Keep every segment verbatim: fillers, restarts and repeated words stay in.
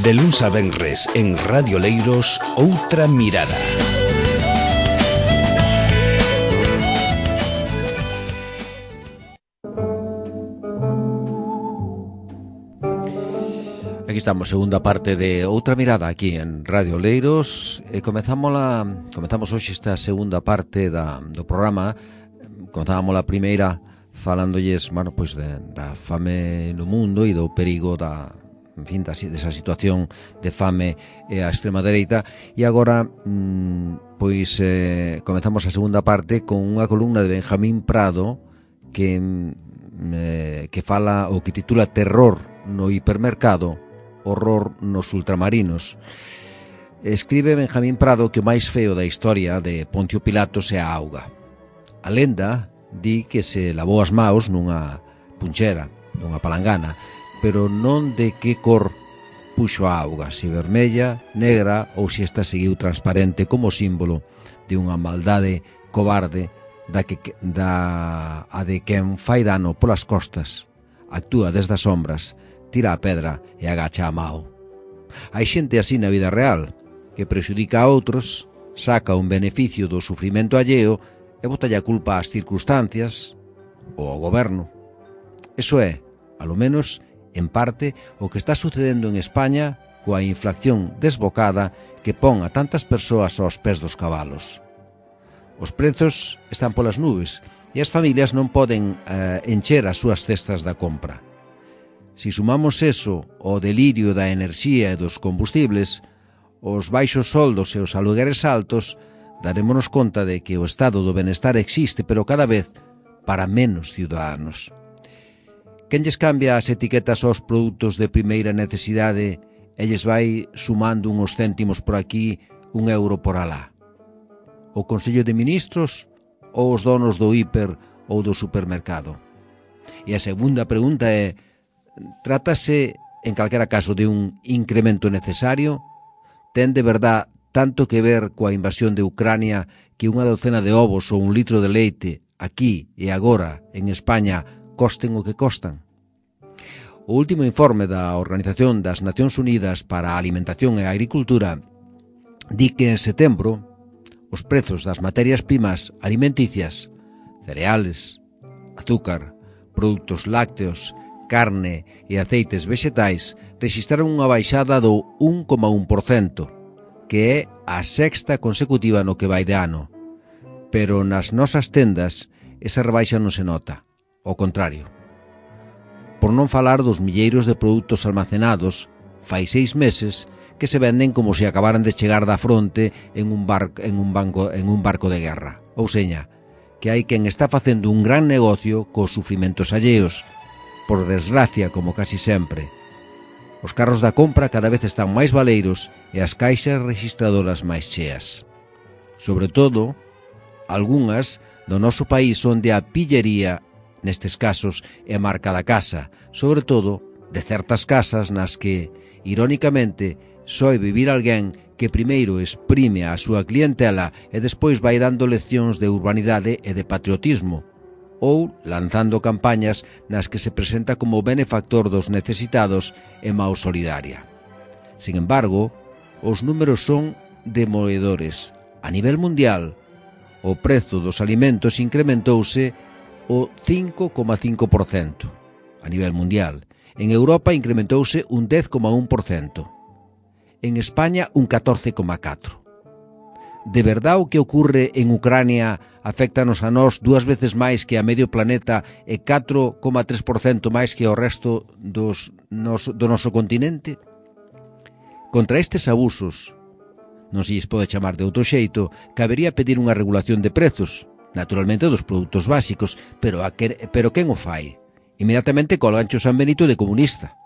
De luns a venres en Radio Leiros, Outra Mirada. Aquí estamos, segunda parte de Outra Mirada aquí en Radio Leiros e comezamos la, comezamos hoxe esta segunda parte da, do programa. Comezamos a primeira falándolles, bueno, pois de, da fame no mundo e do perigo da, en fin, da, desa situación de fame e a extrema dereita, e agora mmm, pois eh, comezamos a segunda parte con unha columna de Benjamín Prado que eh, que fala o que titula Terror no hipermercado, horror nos ultramarinos. Escribe Benjamín Prado que o máis feo da historia de Poncio Pilatos é a auga. A lenda di que se lavou as maos nunha punchera, nunha palangana, pero non de que cor puxo a auga, se vermella, negra ou se esta seguiu transparente como símbolo de unha maldade cobarde da que da a de quen fai dano polas costas, actúa desde as sombras, tira a pedra e agacha a mao. Hai xente así na vida real, que prexudica a outros, saca un beneficio do sufrimento alleo e botalle a culpa ás circunstancias ou ao goberno. Eso é, alo menos, en parte, o que está sucedendo en España coa inflación desbocada que pon a tantas persoas aos pés dos cabalos. Os prezos están polas nubes e as familias non poden eh, encher as súas cestas da compra. Si sumamos eso ao delirio da enerxía e dos combustibles, os baixos soldos e os alugueres altos, darémonos conta de que o estado do benestar existe, pero cada vez para menos ciudadanos. Quen lles cambia as etiquetas aos produtos de primeira necesidade e lles vai sumando uns céntimos por aquí, un euro por alá? O Consello de Ministros ou os donos do hiper ou do supermercado? E a segunda pregunta é: trátase, en calquera caso, de un incremento necesario? Ten de verdad tanto que ver coa invasión de Ucrania que unha docena de ovos ou un litro de leite aquí e agora en España costen o que costan? O último informe da Organización das Nacións Unidas para a Alimentación e a Agricultura di que en setembro os prezos das materias primas alimenticias, cereales, azúcar, produtos lácteos, carne e aceites vegetais rexistraron unha baixada do un coma un por cento, que é a sexta consecutiva no que vai de ano. Pero nas nosas tendas esa rebaixa non se nota, ao contrario. Por non falar dos milleiros de produtos almacenados fai seis meses que se venden como se acabaran de chegar da fronte en un, bar, en un, banco, en un barco de guerra. Ou seña, que hai quen está facendo un gran negocio cos sufrimentos alleos, por desgracia, como casi sempre. Os carros da compra cada vez están máis baleiros e as caixas rexistradoras máis cheas. Sobre todo, algunhas do noso país onde a pillería, nestes casos, é marca da casa, sobre todo de certas casas nas que, irónicamente, soe vivir alguén que primeiro exprime a súa clientela e despois vai dando leccións de urbanidade e de patriotismo, ou lanzando campañas nas que se presenta como benefactor dos necesitados e mau solidaria. Sin embargo, os números son demoledores. A nivel mundial, o prezo dos alimentos incrementouse o cinco coma cinco por cento. A nivel mundial. En Europa incrementouse un dez coma un por cento. En España un catorce coma catro por cento. De verdad o que ocurre en Ucrania aféctanos a nós dúas veces máis que a medio planeta e catro coma tres por cento máis que ao resto dos, nos, do noso continente? Contra estes abusos, non se lles pode chamar de outro xeito, cabería pedir unha regulación de prezos, naturalmente dos produtos básicos, pero, a que, pero quen o fai? Inmediatamente colgancho San Benito de comunista.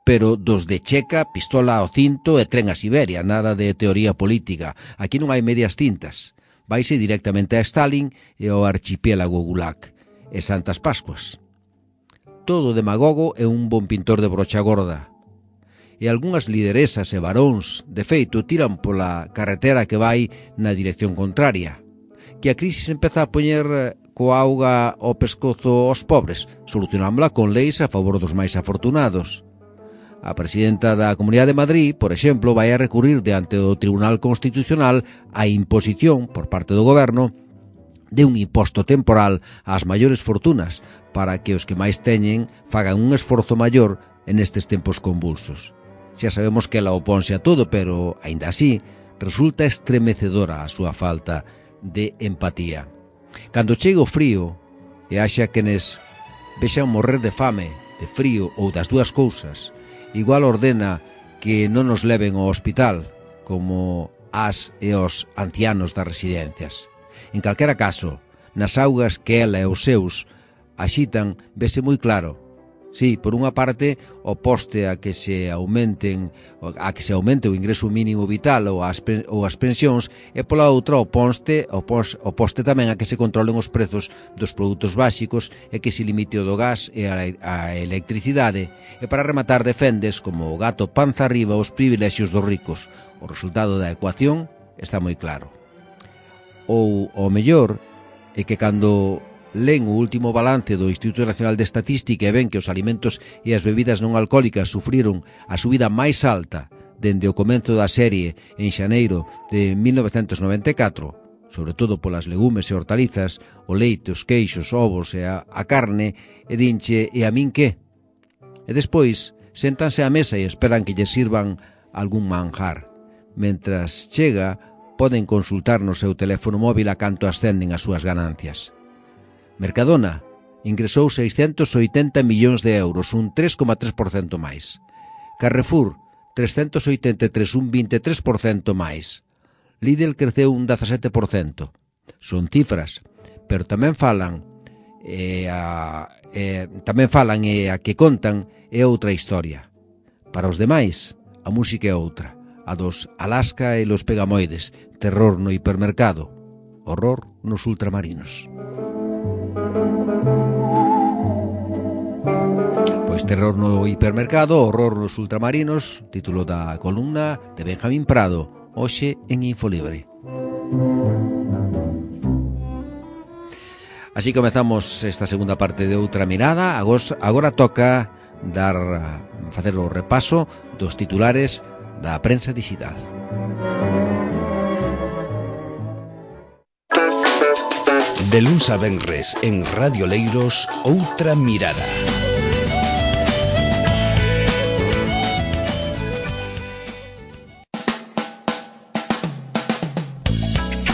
Pero dos de checa, pistola ao cinto e tren a Siberia, nada de teoría política. Aquí non hai medias tintas. Vaise directamente a Stalin e ao archipiélago Gulag e Santas Pascuas. Todo demagogo e un bon pintor de brocha gorda. E algunhas lideresas e varóns, de feito, tiran pola carretera que vai na dirección contraria. Que a crisis empeza a poñer coa auga ao pescozo aos pobres, solucionámola con leis a favor dos máis afortunados. A presidenta da Comunidade de Madrid, por exemplo, vai a recurrir diante do Tribunal Constitucional a imposición por parte do Goberno de un imposto temporal ás maiores fortunas para que os que máis teñen fagan un esforzo maior en estes tempos convulsos. Xa sabemos que ela oponse a todo, pero, aínda así, resulta estremecedora a súa falta de empatía. Cando chega o frío e haxa quenes vexan morrer de fame, de frío ou das dúas cousas, igual ordena que non nos leven ao hospital, como as e os ancianos das residencias. En calquera caso, nas augas que ela e os seus axitan, vese moi claro. Sí, por unha parte, oposte a que se aumenten a que se aumente o ingreso mínimo vital ou as, ou as pensións, e pola outra oposte, opos, oposte tamén a que se controlen os prezos dos produtos básicos e que se limite o do gas e a, a electricidade, e para rematar defendes como o gato panza arriba os privilexios dos ricos. O resultado da ecuación está moi claro. Ou, ao mellor, é que cando len o último balance do Instituto Nacional de Estatística e ven que os alimentos e as bebidas non alcohólicas sufriron a subida máis alta dende o comenzo da serie en xaneiro de mil novecentos noventa e catro, sobre todo polas legumes e hortalizas, o leite, os queixos, ovos e a, a carne, e dinche, e a min que? E despois, séntanse á mesa e esperan que lle sirvan algún manjar. Mentras chega, poden consultar no seu teléfono móvil a canto ascenden as súas ganancias. Mercadona ingresou seiscentos oitenta millóns de euros, un tres coma tres por cento máis. Carrefour, trescentos oitenta e tres, un vinte e tres por cento máis. Lidl creceu un dezasete por cento. Son cifras, pero tamén falan e a, e, tamén falan e a que contan é outra historia. Para os demais, a música é outra, a dos Alaska e los Pegamoides, terror no hipermercado, horror nos ultramarinos. Pois terror no hipermercado, horror nos ultramarinos, título da columna de Benjamín Prado, hoxe en Infolibre. Así comezamos esta segunda parte de Outra Mirada. Agora toca dar facer o repaso dos titulares da prensa digital. De luns a venres en Radio Leiros, Outra Mirada.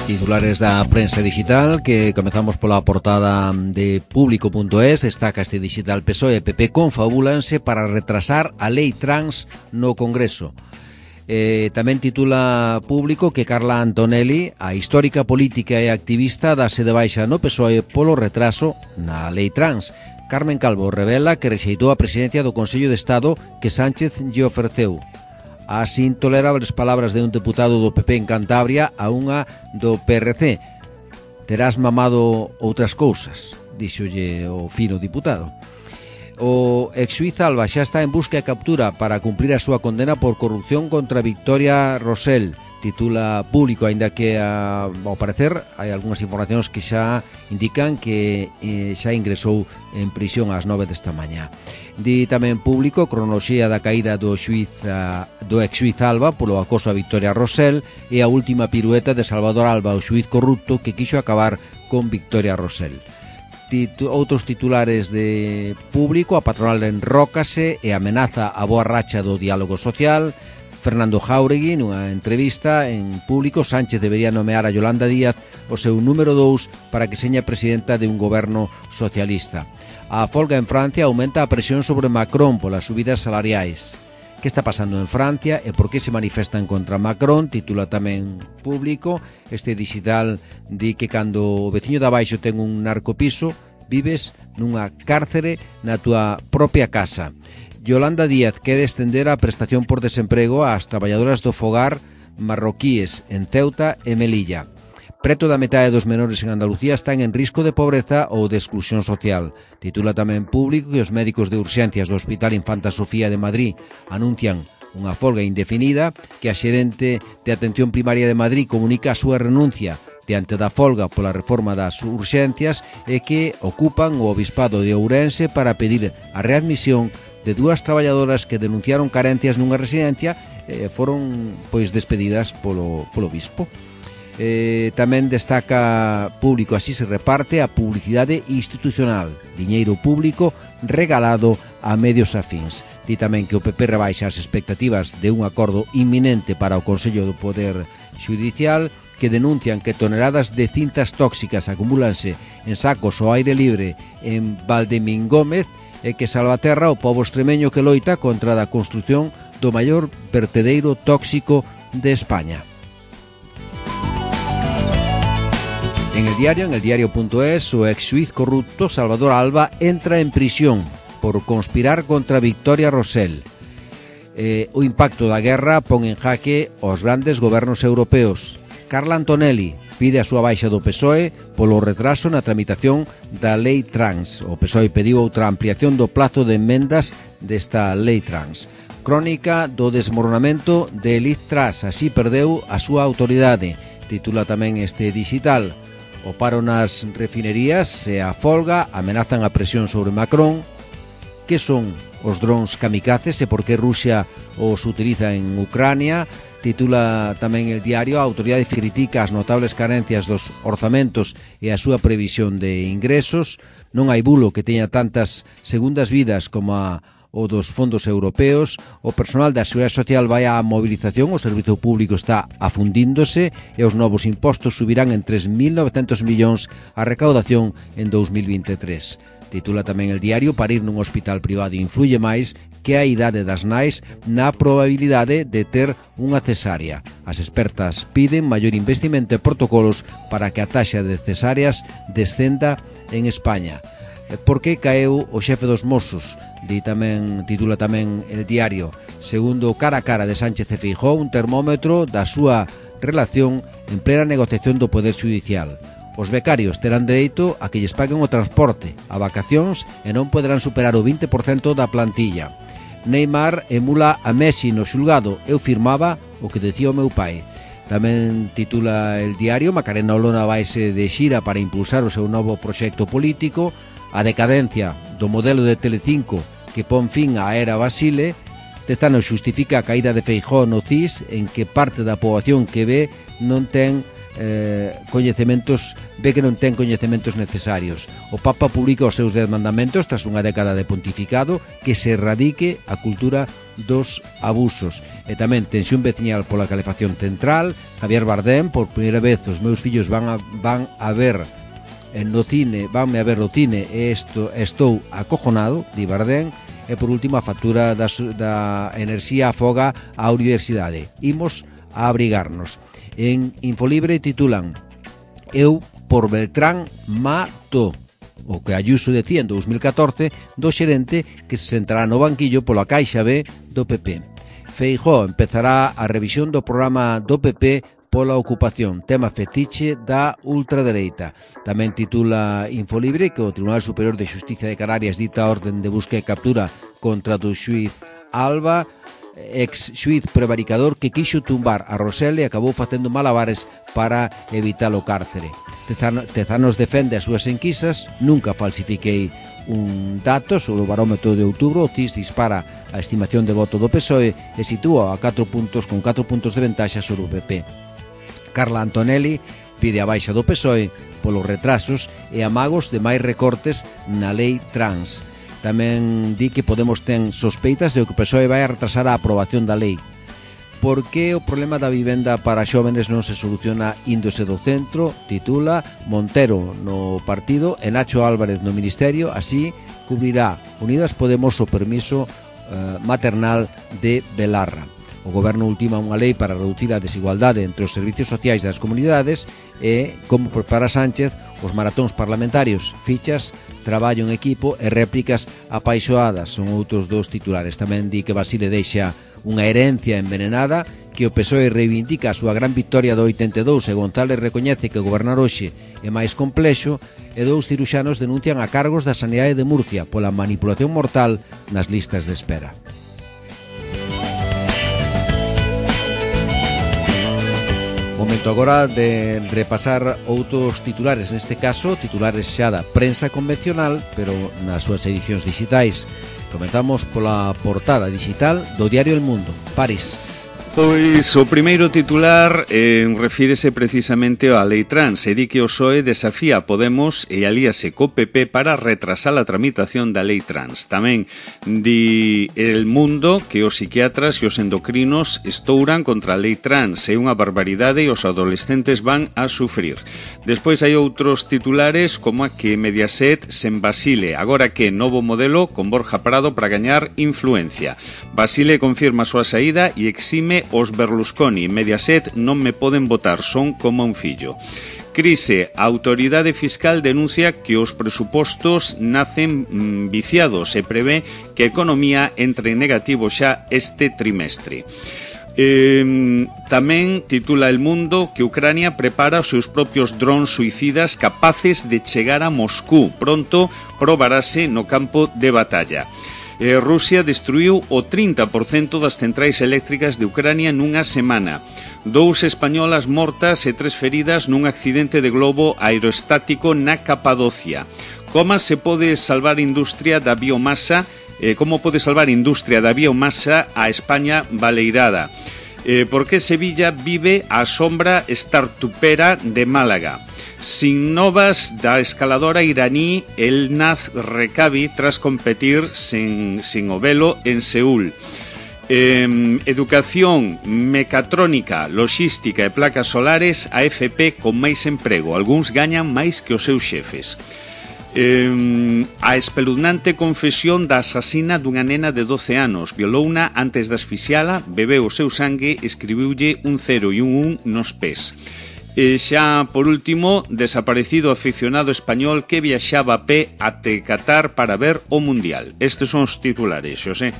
Titulares da prensa digital, que comezamos pola portada de Público punto es. Destaca este digital P S O E e P P confabúlanse para retrasar a lei trans no Congreso. Eh, tamén titula Público que Carla Antonelli, a histórica política e activista, dase de baixa no P S O E polo retraso na lei trans. Carmen Calvo revela que rexeitou a presidencia do Consello de Estado que Sánchez lle ofreceu. As intolerables palabras de un deputado do P P en Cantabria a unha do P R C. Terás mamado outras cousas, díxolle o fino diputado. O ex-xuíz Alba xa está en busca e captura para cumplir a súa condena por corrupción contra Victoria Rosell, titula Público, aínda que a, ao parecer hai algunhas informacións que xa indican que eh, xa ingresou en prisión ás nove desta mañá. Di tamén Público cronoloxía da caída do xuíz a, do ex-xuíz Alba polo acoso a Victoria Rosell e a última pirueta de Salvador Alba, o xuíz corrupto que quixo acabar con Victoria Rosell. Titu- outros titulares de Público: a patronal enrócase e amenaza a boa racha do diálogo social. Fernando Jáuregui, nunha entrevista en Público: Sánchez debería nomear a Yolanda Díaz o seu número dous para que seña presidenta de un goberno socialista. A folga en Francia aumenta a presión sobre Macron polas subidas salariais. Que está pasando en Francia e por que se manifestan contra Macron? Titula tamén Público. Este digital di que cando o veciño de abaixo ten un narcopiso, vives nunha cárcere na túa propia casa. Yolanda Díaz quere estender a prestación por desemprego ás traballadoras do fogar marroquíes en Ceuta e Melilla. Preto da metade dos menores en Andalucía están en risco de pobreza ou de exclusión social. Titula tamén Público que os médicos de urxencias do Hospital Infanta Sofía de Madrid anuncian unha folga indefinida, que a xerente de Atención Primaria de Madrid comunica a súa renuncia diante da folga pola reforma das urxencias e que ocupan o Obispado de Ourense para pedir a readmisión de dúas traballadoras que denunciaron carencias nunha residencia e foron pois despedidas polo, polo bispo. Eh, tamén destaca Público así se reparte a publicidade institucional, diñeiro público regalado a medios afíns. Di tamén que o P P rebaixa as expectativas de un acordo inminente para o Consello do Poder Xudicial, que denuncian que toneladas de cintas tóxicas acumúlanse en sacos ao aire libre en Valdemingómez e que Salvaterra o pobo extremeño que loita contra a construción do maior vertedeiro tóxico de España. En el diario, en el diario punto es, o ex xuiz corrupto Salvador Alba entra en prisión por conspirar contra Victoria Rosell. Eh, o impacto da guerra pon en jaque os grandes gobernos europeos. Carla Antonelli pide a súa baixa do P S O E polo retraso na tramitación da lei trans. O P S O E pediu outra ampliación do plazo de enmendas desta lei trans. Crónica do desmoronamento de Liz Truss, así perdeu a súa autoridade. Titula tamén este digital. O paro nas refinerías e a folga amenazan a presión sobre Macron. Que son os drons kamikazes e por que Rusia os utiliza en Ucrania? Titula tamén el diario. A autoridade critica as notables carencias dos orzamentos e a súa previsión de ingresos. Non hai bulo que teña tantas segundas vidas como a o dos fondos europeos. O personal da Seguridade Social vai á movilización, o servizo público está afundíndose e os novos impostos subirán en tres mil novecentos millóns a recaudación en dous mil vinte e tres. Titula tamén el diario: parir nun hospital privado influye máis que a idade das nais na probabilidade de ter unha cesárea. As expertas piden maior investimento e protocolos para que a taxa de cesáreas descenda en España. Por que caeu o xefe dos Mossos? Di tamén, titula tamén el diario. Segundo o cara a cara de Sánchez e Feijóo, un termómetro da súa relación en plena negociación do Poder Xudicial. Os becarios terán dereito a que lles paguen o transporte, a vacacións e non poderán superar o vinte por cento da plantilla. Neymar emula a Messi no xulgado. Eu firmaba o que decía o meu pai. Tamén titula el diario. Macarena Olona vaise de xira para impulsar o seu novo proxecto político. A decadencia do modelo de Telecinco que pon fin á era Basile. Tezano xustifica a caída de Feijóo no C I S en que parte da poboación que ve non ten eh, coñecementos ve que non ten coñecementos necesarios. O Papa publica os seus dez mandamentos tras unha década de pontificado, que se erradique a cultura dos abusos. E tamén tensión veciñal pola calefacción central. Javier Bardem: por primeira vez os meus fillos van a, van a ver no cine, vanme a ver no cine e esto, estou acojonado, di Bardem. E por último, a factura da, da enerxía afoga a universidade. Imos a abrigarnos. En Infolibre titulan: eu por Beltrán mato. O que Ayuso decía en dous mil catorce do xerente que se sentará no banquillo pola Caixa B do P P. Feijóo empezará a revisión do programa do P P pola ocupación, tema fetiche da ultradereita. Tamén titula Infolibre que o Tribunal Superior de Xustiza de Canarias dita a orden de busca e captura contra do xuiz Alba, ex xuiz prevaricador que quixo tumbar a Rosell e acabou facendo malabares para evitar o cárcere. Tezano, Tezanos defende as súas enquisas: nunca falsifiquei un dato sobre o barómetro de outubro. O C I S dispara a estimación de voto do P S O E e sitúa a catro puntos con catro puntos de ventaxa sobre o P P. Carla Antonelli pide a baixa do P S O E polos retrasos e amagos de máis recortes na lei trans. Tamén di que Podemos ten sospeitas de que o P S O E vai a retrasar a aprobación da lei. Por que o problema da vivenda para xóvenes non se soluciona índose do centro? Titula Montero no partido e Nacho Álvarez no ministerio. Así cubrirá Unidas Podemos o permiso eh, maternal de Belarra. O goberno ultima unha lei para reducir a desigualdade entre os servicios sociais das comunidades e, como prepara Sánchez, os maratóns parlamentarios, fichas, traballo en equipo e réplicas apaixoadas son outros dos titulares. Tamén di que Basile deixa unha herencia envenenada, que o P S O E reivindica a súa gran victoria do oitenta e dous e González recoñece que gobernar hoxe é máis complexo, e dous ciruxanos denuncian a cargos da Sanidade de Murcia pola manipulación mortal nas listas de espera. Momento agora de repasar outros titulares, neste caso titulares xa da prensa convencional, pero nas súas edicións digitais. Comenzamos pola portada digital do diario El Mundo, París. Pois o primeiro titular eh, refírese precisamente á lei trans e di que o P S O E desafía a Podemos e alíase co P P para retrasar a tramitación da lei trans. Tamén di El Mundo que os psiquiatras e os endocrinos estouran contra a lei trans, é unha barbaridade e os adolescentes van a sufrir. Despois hai outros titulares como a que Mediaset sen Basile, agora que novo modelo con Borja Prado para gañar influencia. Basile confirma a súa saída e exime os Berlusconi. Mediaset non me poden votar, son como un fillo. Crise. A autoridade fiscal denuncia que os presupostos nacen mm, viciados e prevé que a economía entre en negativo xa este trimestre. Eh, tamén titula El Mundo que Ucrania prepara os seus propios drones suicidas capaces de chegar a Moscú. Pronto probarase no campo de batalla. Eh, Rusia destruiu o trinta por cento das centrais eléctricas de Ucrania nunha semana. Dous españolas mortas e tres feridas nun accidente de globo aerostático na Capadocia. Como se pode salvar a industria da biomasa? Eh, como pode salvar a industria da biomasa a España baleirada? Eh, por que Sevilla vive á sombra startupera de Málaga? Sin novas da escaladora iraní Elnaz Rekabi tras competir sen, sin o velo en Seúl. Eh, educación, mecatrónica, logística e placas solares, a F P con máis emprego. Algúns gañan máis que os seus xefes. Eh, a espeluznante confesión da asasina dunha nena de doce anos. Violouna antes de asfixiala, bebeu o seu sangue, escribiulle un cero e un un nos pés. E xa, por último, desaparecido aficionado español que viaxaba a pé até Qatar para ver o Mundial. Estes son os titulares, Xosé.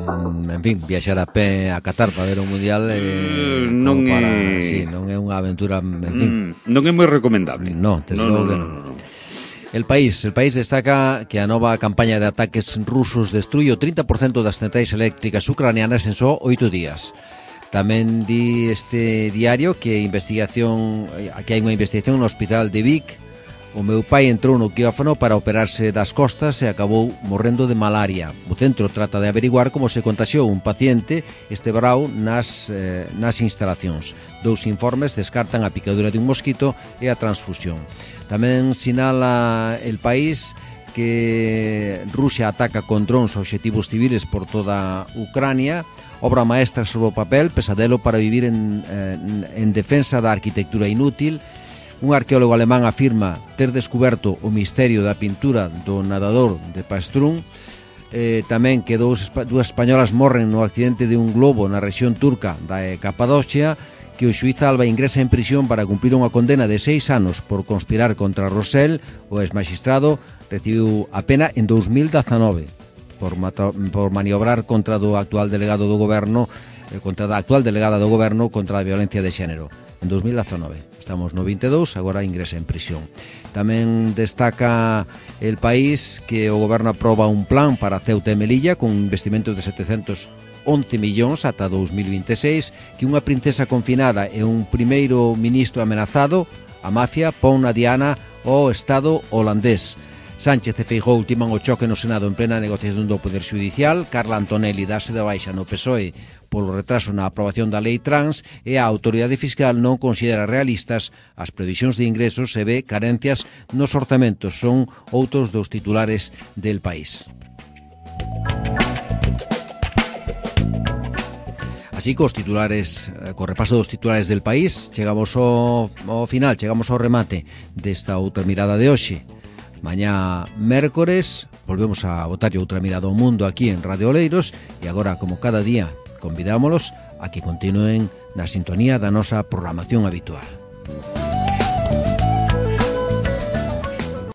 Mm, en fin, viaxar a pé a Qatar para ver o Mundial eh, non, para, é... Sí, non é unha aventura, en fin. Mm, non é moi recomendable. No, desde no, logo no, que non. No, no, no. El País, el País destaca que a nova campaña de ataques rusos destrui o trinta por cento das centrais eléctricas ucranianas en só oito días. Tamén di este diario que investigación que hai unha investigación no hospital de Vic. O meu pai entrou no quirófano para operarse das costas e acabou morrendo de malaria. O centro trata de averiguar como se contaxiou un paciente este verao nas, eh, nas instalacións. Dous informes descartan a picadura de un mosquito e a transfusión. Tamén sinala El País que Rusia ataca con drones obxectivos civiles por toda Ucrania. Obra maestra sobre o papel, pesadelo para vivir en, en, en defensa da arquitectura inútil. Un arqueólogo alemán afirma ter descuberto o misterio da pintura do nadador de Pastrún. Eh, tamén que dous, dúas españolas morren no accidente de un globo na rexión turca da Capadocia, que o xuíz Alba ingresa en prisión para cumplir unha condena de seis anos por conspirar contra Rosell. O exmaxistrado recibiu a pena en dous mil dezanove. Por, mata, por maniobrar contra do actual delegado do goberno eh, contra a actual delegada do goberno contra a violencia de xénero en dous mil dezanove. Estamos no vinte e dous, agora ingresa en prisión. Tamén destaca El País que o goberno aproba un plan para Ceuta e Melilla con investimentos de setecentos once millóns ata dous mil vinte e seis, que unha princesa confinada e un primeiro ministro amenazado, a mafia pon na diana o Estado holandés. Sánchez e Feijóo ultiman o choque no Senado en plena negociación do Poder Xudicial. Carla Antonelli dáse de baixa no P S O E polo retraso na aprobación da lei trans e a autoridade fiscal non considera realistas as previsións de ingresos e ve carencias nos orzamentos. Son outros dos titulares del País. Así que os titulares, co repaso dos titulares del País, chegamos ao, ao final, chegamos ao remate desta outra mirada de hoxe. Mañá mércores volvemos a botarlle outra mirada ao mundo aquí en Radio Oleiros e agora, como cada día, convidámolos a que continúen na sintonía da nosa programación habitual.